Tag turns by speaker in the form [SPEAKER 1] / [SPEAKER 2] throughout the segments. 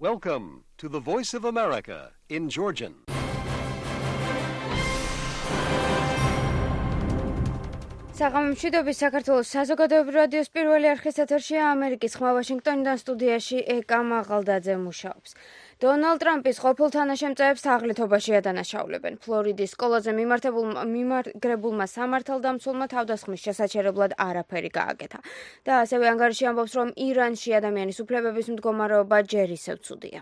[SPEAKER 1] Welcome to the Voice of America in Georgian.
[SPEAKER 2] საღამომშვიდობის საქართველოს საზოგადოებრივ რადიოს პირველი არხის ეთერშია ამერიკის ხმა ვაშინგტონიდან სტუდიაში ეკა მაღალდაძე მუშაობს. დონალდ ტრამპის ყოფილ თანაშემწეებს თაღლითობაში ადანაშაულებენ. ფლორიდის სკოლაზე მიმაგრებულმა სამართალდამცველმა თავდასხმის შესაჩერებლად არაფერი გააკეთა. და ასევე ანგარიში ამბობს, რომ ირანში ადამიანის უფლებების მდგომარეობა ჯერ ისევ ცუდია.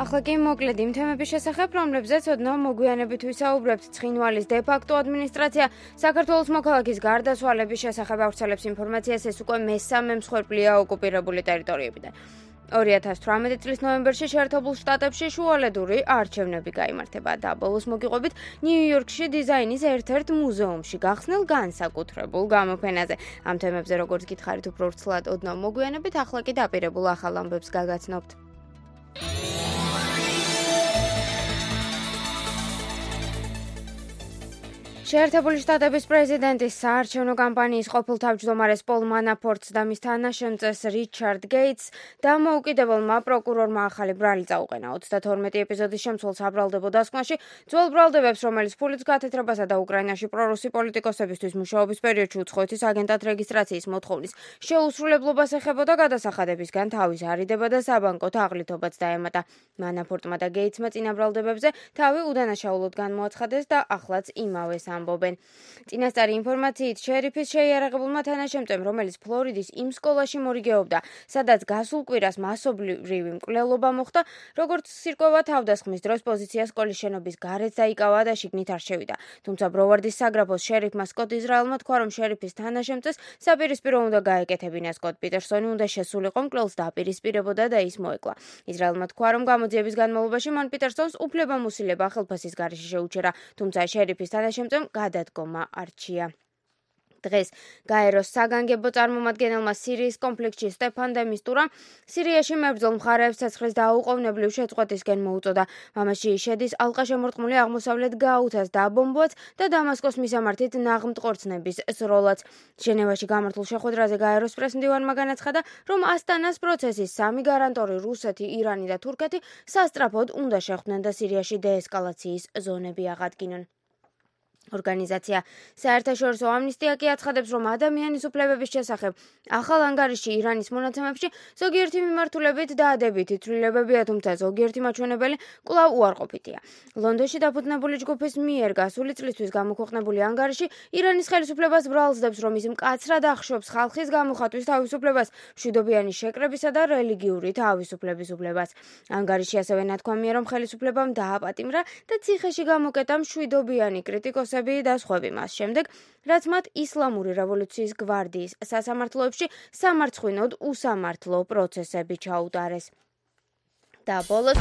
[SPEAKER 2] ახლა კი მოკლედ იმ თემების შესახებ, რომლებზეც ოდნავ მოგვიანებით ვისაუბრებთ. ცხინვალის დე-ფაქტო ადმინისტრაცია საქართველოს მოქალაქის გარდაცვალების შესახებ ავრცელებს ინფორმაციას, ეს უკვე მესამე მსხვერპლია ოკუპირებული ტერიტორიებიდან. 2018 წლის ნოემბერში შეერთებულ შტატებში შუალედური არჩევნები გაიმართება და ბოლოს მოგიყვებით ნიუ-იორკში დიზაინის ერთ-ერთ მუზეუმში გახსნილ განსაკუთრებულ გამოფენაზე. ამ თემებზე როგორც გითხარით უფრო ვრცლად ოდნავ მოგვიანებით, ახლა კი დაპირებულ ახალ ამბებს გაგაცნობთ. შეერთებული შტატების პრეზიდენტის საარჩევნო კამპანიის ყოფილ თავმჯდომარეს პოლ მანაფორტს და მის თანაშემწეს რიჩარდ გეიტს დამოუკიდებელმა პროკურორმა ახალი ბრალი წაუყენა. 32 ეპიზოდის შემცველ საბრალდებო დასკვნაში ძველ ბრალდებებს, რომელიც ფულით გათეთრებასა და უკრაინაში პრორუსი პოლიტიკოსებისთვის მუშაობის პერიოდში უცხოეთის აგენტად რეგისტრაციის მოთხოვნის შეუსრულებლობას ეხებოდა გადასახადებისგან თავის არიდება და საბანკო თაღლითობაც დაემატა. მანაფორტმა და გეიტსმა წინა ბრალდებებზე თავი უდანაშაულოდ განმოაცხადეს და ახლაც იმავეს ამბობენ. წინასწარი ინფორმაციით შერიფის შეიარაღებულმა თანაშემწემ, რომელიც ფლორიდის იმ სკოლაში მორიგეობდა, სადაც გასულ კვირას მასობრივი მკვლელობა მოხდა, როგორც სირკვევა თავდასხმის დროს პოზიცია სკოლის შენობის გარეთ დაიკავა და შიგნით არ შევიდა. თუმცა ბროვარდის საგრაფოს შერიფმა სკოტ ისრაელმა თქვა, რომ შერიფის თანაშემწეს საპირისპირო უნდა გაეკეთებინა. სკოტ პიტერსონი უნდა შესულიყო მკვლელს დააპირისპირებოდა და ის მოეკლა. ისრაელმა თქვა, რომ გამოძიების განმავლობაში მან პიტერსონს უფლებამოსილება ხელფასის გარეშე შეუჩერა, თუმცა შერიფის თანაშემწემ გადადგომა არჩია. დღეს გაეროს საგანგებო წარმომადგენელმა სირიის კონფლიქტში სტეფან დე მისტურამ სირიაში მებრძოლ მხარეებს ცეცხლის დაუყოვნებლივ შეწყვეტისკენ მოუწოდა. მამაში შედის ალყაშემორტყმული აღმოსავლეთ გაუთას დაბომბვაც და დამასკოს მისამართით ნაღმტყორცნების სროლაც. ჟენევაში გამართულ შეხვედრაზე გაეროს პრესმდივანმა განაცხადა, რომ ასტანას პროცესის სამი გარანტორი რუსეთი, ირანი და თურქეთი სასწრაფოდ უნდა შეხვდნენ და სირიაში დეესკალაციის ზონები აღადგინონ. ორგანიზაცია საერთაშორისო ამნისტია კი აცხადებს, რომ ადამიანის უფლებების შესახებ ახალ ანგარიში ირანის მონაცემებში ზოგიერთი მიმართულებით დადებითი ცვლილებებია, თუმცა ზოგიერთი მაჩვენებელი კვლავ უარყოფითია. ლონდონში დაფუძნებული ჯგუფის მიერ გასული წლისთვის გამოქვეყნებული ანგარიში ირანის ხელისუფლებას ბრალსდებს, რომ ის მკაცრად ახშობს ხალხის გამოხატვის თავისუფლებას, მშვიდობიანი შეკრებისა და რელიგიური თავისუფლების უფლებას. ანგარიში ასევე ნათქვამია, რომ ხელისუფლებამ დააპატიმრა და ციხეში გამოკეტა მშვიდობიანი კრიტიკოსები და სხვები მას შემდეგ, რაც მათ ისლამური რევოლუციის გვარდიის სასამართლოებში სამარცხვინოდ უსამართლო პროცესები ჩაუტარეს. და ბოლოს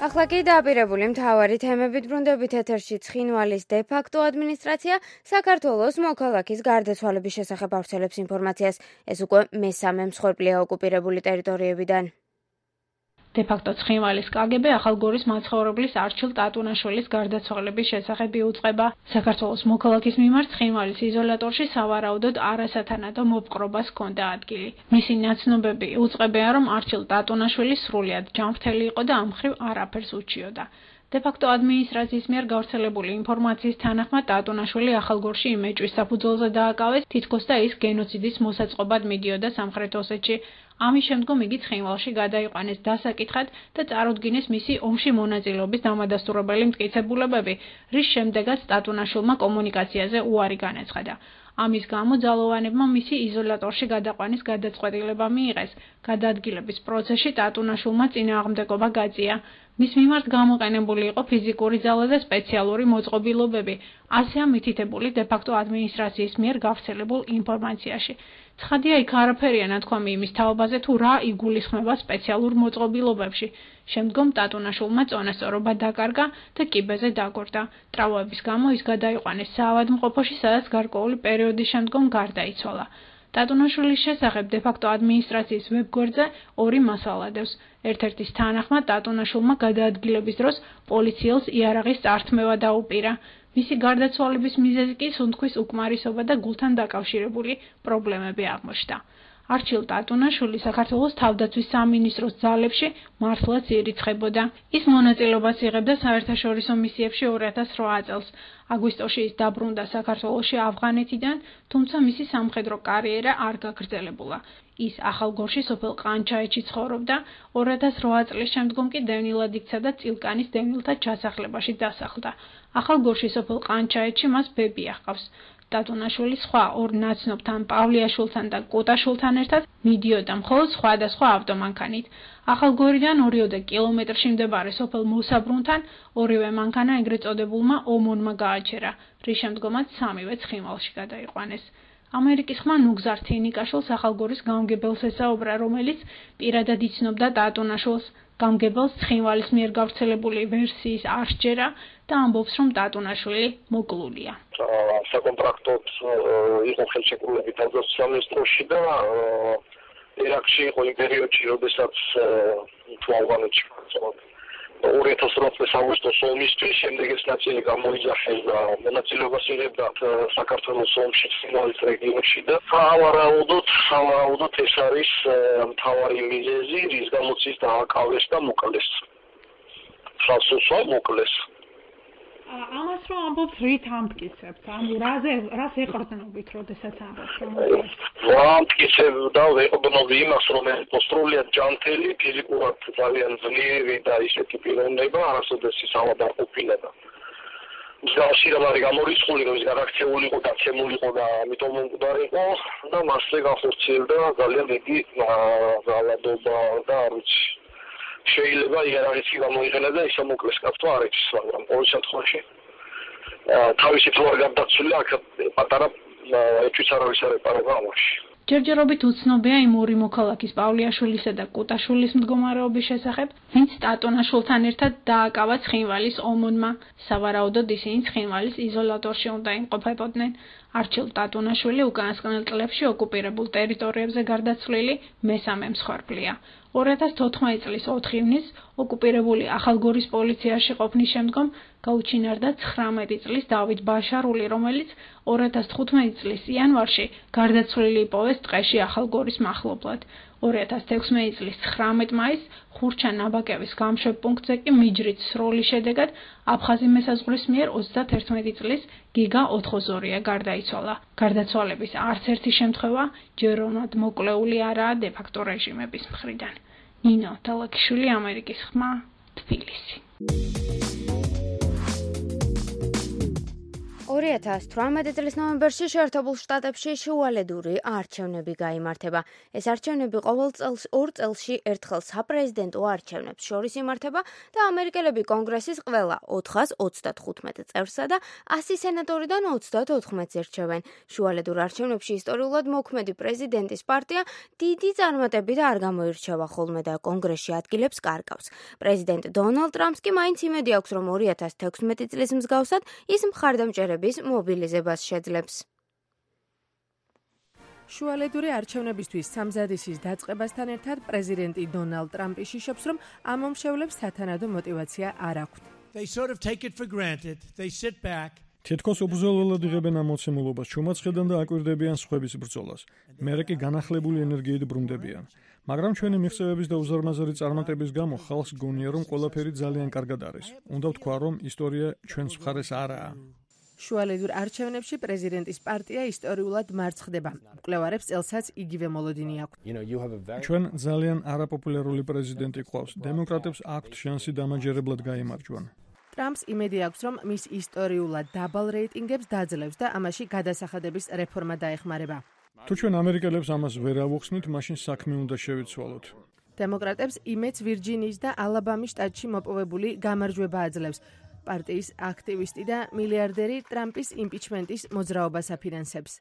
[SPEAKER 2] ახლა კი დაპირებული მთავარი თემებით ბრუნდებით ეთერში. ცხინვალის დე-ფაქტო ადმინისტრაცია საქართველოს მოქალაქის გარდაცვალების შესახებ ავრცელებს ინფორმაციას. ეს უკვე მესამე მსხვერპლია ოკუპირებული ტერიტორიებიდან.
[SPEAKER 3] დე-ფაქტო ცხინვალის კგბ ახალგორის მაცხოვრებლის არჩილ ტატუნაშვილის გარდაცვალების შესახებ იუწყება. საქართველოს მოქალაქის მიმართ ცხინვალის იზოლატორში სავარაუდოდ არასათანადო მოპყრობას ჰქონდა ადგილი. მისი ნაცნობები იუწყებიან, რომ არჩილ ტატუნაშვილი სრულიად ჯანმრთელი იყო და ამ მხრივ არაფერს უჩიოდა. დე-ფაქტო ადმინისტრაციის მიერ გავრცელებული ინფორმაციის თანახმად ტატუნაშვილი ახალგორში იმეჭვის საფუძველზე დააკავეს, თითქოს და ის გენოციდის მოსაწყობად მიდიოდა სამხრეთ ოსეთში. ამის შემდგომ იგი ცხინვალში გადაიყვანეს დასაკითხად და წარუდგინეს მისი ომში მონაწილეობის დამადასტურებელი მტკიცებულებები, რის შემდეგაც ტატუნაშვილმა კომუნიკაციაზე უარი განაცხადა. ამის გამო ძალოვანებმა მისი იზოლატორში გადაყვანის გადაწყვეტილება მიიღეს. გადაადგილების პროცესში ტატუნაშვილმა წინააღმდეგობა გაწია. მის მიმართ გამოყენებული იყო ფიზიკური ძალა და სპეციალური მოწყობილობები, ასეა მითითებული დე-ფაქტო ადმინისტრაციის მიერ გავრცელებულ ინფორმაციაში. ცხადია, იქ არაფერია ნათქვამი იმის თაობაზე, თუ რა იგულისხმება სპეციალურ მოწყობილობებში. შემდგომ ტატუნაშვილმა წონასწორობა დაკარგა და კიბეზე დაგორდა. ტრავმების გამო ის გადაიყვანეს საავადმყოფოში, სადაც გარკვეული პერიოდის შემდგომ გარდაიცვალა. ტატუნაშვილის შესახებ დე-ფაქტო ადმინისტრაციის ვებგვერდზე ორი მასალა დევს. ერთ-ერთის თანახმად ტატუნაშვილმა გადაადგილების დროს პოლიციელს იარაღის წართმევა დაუპირა. მისი გარდაცვალების მიზეზი კი სუნთქვის უკმარისობა და გულთან დაკავშირებული პრობლემები აღმოჩნდა. არჩილ ტატუნაშვილი საქართველოს თავდაცვის სამინისტროს ძალებში მართლაც ირიცხებოდა. ის მონაწილეობას იღებდა საერთაშორისო მისიებში 2008 წელს. აგვისტოში ის დაბრუნდა საქართველოში ავღანეთიდან, თუმცა მისი სამხედრო კარიერა არ გაგრძელებულა. ის ახალგორში სოფელ ყანჩაეთში ცხოვრობდა, 2008 წლის შემდგომ კი დევნილად იქცა და წილკანის დევნილთა ჩასახლებაში დასახლდა. ახალგორში სოფელ ყანჩაეთში მას ბები ახავს. ტატუნაშვილი სხვა ორ ნაცნობთან, პავლიაშვილთან და კუტაშვილთან ერთად მიდიოდა მხოლოდ სხვადასხვა ავტომანქანით. ახალგორიდან 2 კილომეტრში მდებარე სოფელ მოსაბრუნთან ორივე მანქანა ეგრეთ წოდებულმა ომონმა გააჩერა, რის შემდგომაც სამივე ცხინვალში გადაიყვანეს. ამერიკის ხმა ნუგზარ თინიკაშვილს ახალგორის გამგებელს ესაუბრა, რომელიც პირადად იცნობდა ტატუნაშვილს. გამგებელს ცხინვალის მიერ გავრცელებული ვერსიის არ სჯერა და ამბობს, რომ ტატუნაშვილი მოკლულია.
[SPEAKER 4] საკონტრაქტოდ იყო ხელშეკრულებით თავდაცვის სამინისტროში და ერაყში იყო იმ პერიოდში, როდესაც ავღანეთში 2008 წლის აგვისტოს ომისთვის, შემდეგ ეს ნაწილი გამოიძახეს და მონაწილეობას იღებდა საქართველოს ომში ცხინვალის რეგიონში და სავარაუდოდ ეს არის მთავარი მიზეზი, რის გამოც ის დააკავეს და მოკლეს. ხალხსა მოკლეს.
[SPEAKER 3] ამას რომ ამბობთ, რით ამტკიცებთ? ანუ რას ეყრდნობით, როდესაც ამბობთ, რომ
[SPEAKER 4] ამტკიცებდა, ეყრდნობდი იმას, რომ სრულიად ჯანმრთელი, ფიზიკურად ძალიან ძლიერი და ისეთი პიროვნება, არასოდეს ის ავად არ ყოფილა. მსგავსი რამ არის გამორიცხული, რომ ის გარაქცეული იყო, დაცემული იყო და ამიტომ მომკვდარი იყო და მასზე გახორციელდა ძალიან დიდი ძალადობა და არ ვიცი. შეიძლება იარაღიც გამოიყენა და ისე მოკლეს კაცო არ იცის, მაგრამ ყოველ შემთხვევაში თავისი თუ არ გარდაცვლილი აქ პატარა ეჭვიც არავის არ ეპარება ამაში.
[SPEAKER 3] ჯერჯერობით უცნობია იმ ორი მოქალაქის პავლიაშვილისა და კუტაშვილის მდგომარეობის შესახებ, ვინც ტატუნაშვილთან ერთად დააკავა ცხინვალის ომონმა. სავარაუდოდ ისინი ცხინვალის იზოლატორში უნდა იმყოფებოდნენ. არჩილ ტატუნაშვილი უკანასკნელ წლებში ოკუპირებულ ტერიტორიებზე გარდაცვლილი მესამე მსხვერპლია. 2014 წლის 4 ივნისს ოკუპირებული ახალგორის პოლიციაში ყოფნის შემდგომ გაუჩინარდა 19 წლის დავით ბაშარული, რომელიც 2015 წლის იანვარში გარდაცვლილი იპოვეს ტყეში ახალგორის მახლობლად. 2016 წლის 19 მაისს ხურჩა ნაბაკევის გამშვებ პუნქტზე კი მიჯრით სროლის შედეგად აფხაზი მესაზღვრის მიერ 31 წლის გიგა ოთხოზორია გარდაიცვალა. გარდაცვალების არც ერთი შემთხვევა ჯეროვნად მოკლეული არაა დე-ფაქტო რეჟიმების მხრიდან. ნინო თალაკიშვილი, ამერიკის ხმა, თბილისი.
[SPEAKER 2] 2018 წლის ნოემბერში შეერთებულ შტატებში შუალედური არჩევნები გაიმართება. ეს არჩევნები ყოველ წელს 2 წელში ერთხელ საპრეზიდენტო არჩევნებს შორის იმართება და ამერიკელები კონგრესის ყველა 435 წევრსა და 100 სენატორიდან 34-ს ერჩევენ. შუალედურ არჩევნებში ისტორიულად მოქმედი პრეზიდენტის პარტია დიდი წარმატებით არ გამოირჩევა ხოლმე და კონგრესში ადგილებს კარგავს. პრეზიდენტ დონალდ ტრამპს კი მაინც იმედი აქვს, რომ 2016 წლის მსგავსად ის მხარდამჭერების მობილიზებას შეძლებს.
[SPEAKER 5] შუალედური არჩევნებისთვის სამზადისის დაწყებასთან ერთად პრეზიდენტი დონალდ ტრამპი შიშობს, რომ ამ მომშევლებს სათანადო мотиваცია არ აქვთ.
[SPEAKER 6] თითქოს უბრძოლველად იღებენ ამ მოცემულობას, ჩუმად ხედან და აკვირდებიან სხვების ბრძოლას. მერე კი განახლებული ენერგიით ბრუნდებიან. მაგრამ ჩვენი მიღწევების და უზარმაზარი წარმატების გამო ხალხს გონია, რომ ყველაფერი ძალიან კარგად არის. უნდა ვთქვა, რომ ისტორია ჩვენს მხარეს არაა.
[SPEAKER 5] შუალედურ არჩევნებში პრეზიდენტის პარტია ისტორიულად მარცხდება. მკვლევარებს წელსაც იგივე მოლოდინი აქვთ.
[SPEAKER 6] ჩვენ ძალიან არაპოპულარული პრეზიდენტი გვყავს. დემოკრატებს აქვთ შანსი დამაჯერებლად გაიმარჯვონ.
[SPEAKER 5] ტრამპს იმედი აქვს, რომ მის ისტორიულად დაბალ რეიტინგებს დაძლევს და ამაში გადასახადების რეფორმა დაეხმარება.
[SPEAKER 6] თუ ჩვენ ამერიკელებს ამას ვერ ავუხსნით, მაშინ საქმე უნდა შევიცვალოთ.
[SPEAKER 5] დემოკრატებს იმედს ვირჯინიის და ალაბამის შტატში მოპოვებული გამარჯვება აძლევს. პარტიის აქტივისტი და მილიარდერი ტრამპის იმპიჩმენტის მოძრაობას აფინანსებს.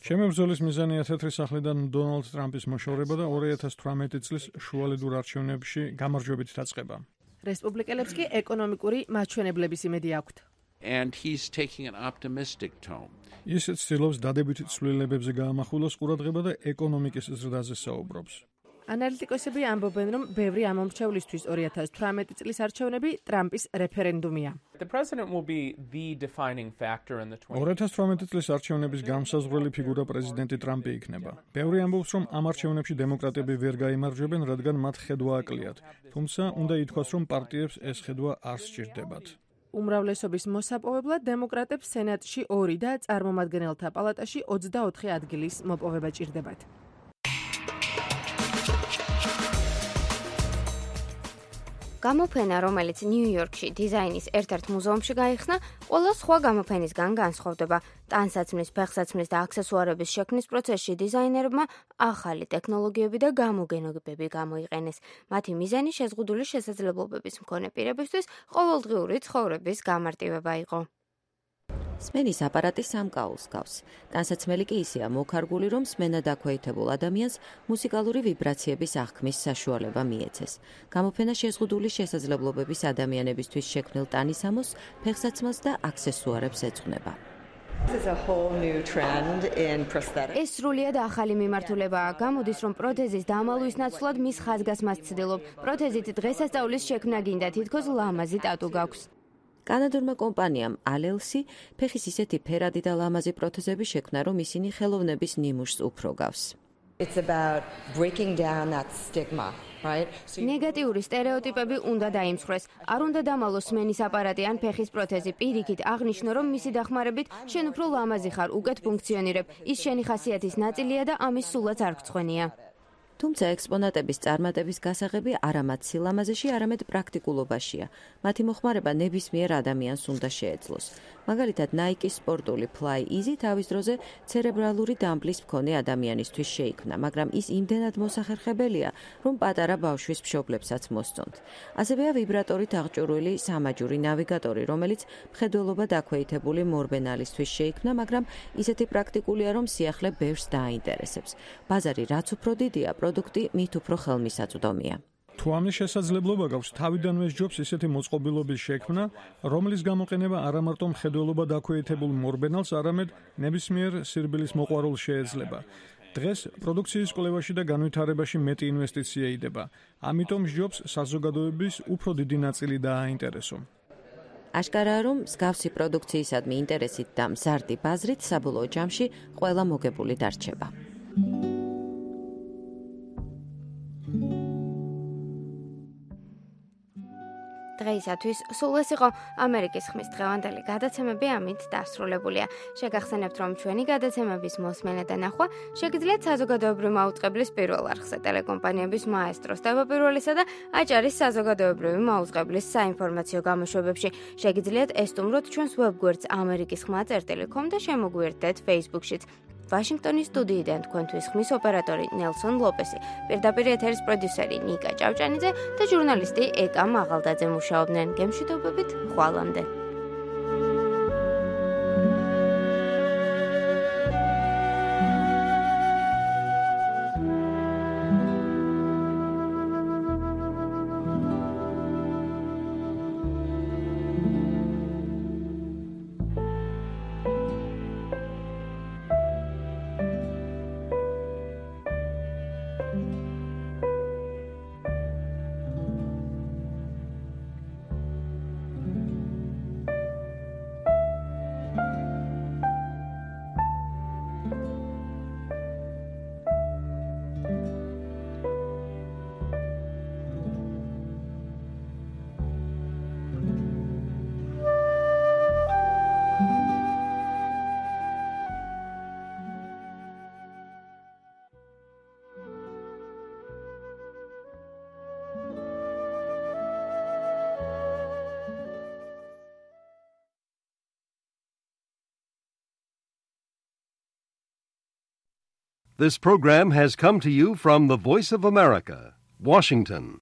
[SPEAKER 6] ჩემი ბრძოლის მიზანია თეთრი სახლიდან დონალდ ტრამპის მოშორება და 2018 წლის შუალედურ არჩევნებში გამარჯვებით დაწყება.
[SPEAKER 5] რესპუბლიკელებს კი ეკონომიკური მაჩვენებლების იმედი აქვთ.
[SPEAKER 7] And he's taking an optimistic tone.
[SPEAKER 6] ის ცდილობს დადებითი ცვლილებებზე გაამახვილოს ყურადღება და ეკონომიკის ზრდაზე საუბრობს.
[SPEAKER 5] ანალიტიკოსები ამბობენ, რომ ბევრი ამომრჩევლისთვის 2018 წლის არჩევნები ტრამპის რეფერენდუმია.
[SPEAKER 8] The president will be the defining factor in the
[SPEAKER 6] 2018 წლის არჩევნების გამსაზღვრელი ფიგურა პრეზიდენტი ტრამპი იქნება. ბევრი ამბობს, რომ ამ არჩევნებში დემოკრატები ვერ გაიმარჯვებენ, რადგან მათ ხედვა აკლიათ. თუმცა უნდა ითქვას, რომ პარტიებს ეს ხედვა არ სჭირდებათ.
[SPEAKER 5] უმრავლესობის მოსაპოვებლად დემოკრატებს სენატში 2 და წარმომადგენელთა პალატაში 24 ადგილის მოპოვება ჭირდებათ.
[SPEAKER 2] გამოფენა, რომელიც ნიუ-იორკში დიზაინის ერთ-ერთ მუზეუმში გაიხსნა, ყველა სხვა გამოფენისგან განსხვავდება. ტანსაცმლის, ფეხსაცმლის და აქსესუარების შექმნის პროცესში დიზაინერებმა ახალი ტექნოლოგიები და გამოგონებები გამოიყენეს. მათი მიზანი შეზღუდული შესაძლებლობების მქონე პირებისთვის ყოველდღიური ცხოვრების გამარტივება იყო.
[SPEAKER 9] სმენის აპარატი სამკაულს გავს. ტანსაცმელი კი ისეა მოქარგული, რომ სმენა დაქვეითებულ ადამიანს მუსიკალური ვიბრაციების აღქმის საშუალება მიეცეს. გამოფენა შეზღუდული შესაძლებლობების ადამიანებისთვის შექმნილ ტანისამოს, ფეხსაცმელს და აქსესუარებს ეძღვნება.
[SPEAKER 2] ეს სრულიად ახალი მიმართულებაა. გამოდის, რომ პროთეზის დამალვის ნაცვლად მის ხაზგასმას ცდილობ. პროთეზით დღესასწაულის შექმნა გინდა, თითქოს ლამაზი ტატუ გაქვს.
[SPEAKER 9] კანადურმა კომპანიამ ალელსი ფეხის ისეთი ფერადი და ლამაზი პროთეზები შექმნა, რომ ისინი ხელოვნების ნიმუშს უფრო გავს.
[SPEAKER 2] ნეგატიური სტერეოტიპები უნდა დაიმსხვრეს. არ უნდა დამალოს სმენის აპარატი ან ფეხის პროთეზი. პირიქით აღნიშნო, რომ მისი დახმარებით შენ უფრო ლამაზი ხარ, უკეთ ფუნქციონირებ. ის შენი ხასიათის ნაწილია და ამის სულაც არ გწვენია.
[SPEAKER 9] თუმცა ექსპონატების წარმატების გასაღები არა მათ სილამაზეში, არამედ პრაქტიკულობაშია. მათი მოხმარება ნებისმიერ ადამიანს უნდა შეეძლოს. მაგალითად, Nike-ის სპორტული Fly Easy თავის დროზე ცერებრალური დამბლის მქონე ადამიანისთვის შეიქმნა, მაგრამ ის იმდენად მოსახერხებელია, რომ პატარა ბავშვის მშობლებსაც მოსწონთ. ასევეა ვიბრატორით აღჭურვილი სამაჯური ნავიგატორი, რომელიც მხედველობა დაქვეითებული მორბენალისთვის შეიქმნა, მაგრამ ისეთი პრაქტიკულია, რომ სიახლე ბევრს დააინტერესებს. ბაზარი რაც უფრო დიდია, პროდუქტი მით უფრო ხელმისაწვდომია.
[SPEAKER 6] თუ ამის შესაძლებლობა გაქვს, თავიდანვე სჯობს ისეთი მოწყობილობის შექმნა, რომლის გამოყენება არა მარტო მხედველობა დაქვეითებულ მორბენალს, არამედ ნებისმიერ სირბილის მოყვარულს შეეძლება. დღეს პროდუქციის კვლევაში და განვითარებაში მეტი ინვესტიცია იდება. ამიტომ სჯობს საზოგადოების უფრო დიდი ნაწილი დააინტერესო.
[SPEAKER 9] აშკარაა, რომ მსგავსი პროდუქციისადმი ინტერესით და მზარდი ბაზრით საბოლოო ჯამში ყველა მოგებული დარჩება.
[SPEAKER 2] დღეისათვის სულ ეს იყო ამერიკის ხმის დღევანდელი გადაცემები, ამით დასრულებულია. შეგახსენებთ, რომ ჩვენი გადაცემების მოსმენა და ნახვა შეგიძლიათ საზოგადოებრივი მაუწყებლის პირველ არხზე, ტელეკომპანიების მაესტროს თავდაპირველისა და აჭარის საზოგადოებრივი მაუწყებლის საინფორმაციო გამოშვებებში. შეგიძლიათ ესტუმროთ ჩვენს ვებგვერდს amerikisxma.com და შემოგვიერთდეთ Facebook-შიც. ვაშინგტონის სტუდიიდან თქვენთვის ხმის ოპერატორი ნელსონ ლოპესი, პირდაპირ ეთერის პროდიუსერი ნიკა ჭავჭანიძე და ჟურნალისტი ეკა მაღალდაძე მუშაობდნენ. გემშვიდობებით, ხვალამდე.
[SPEAKER 1] This program has come to you from the Voice of America, Washington.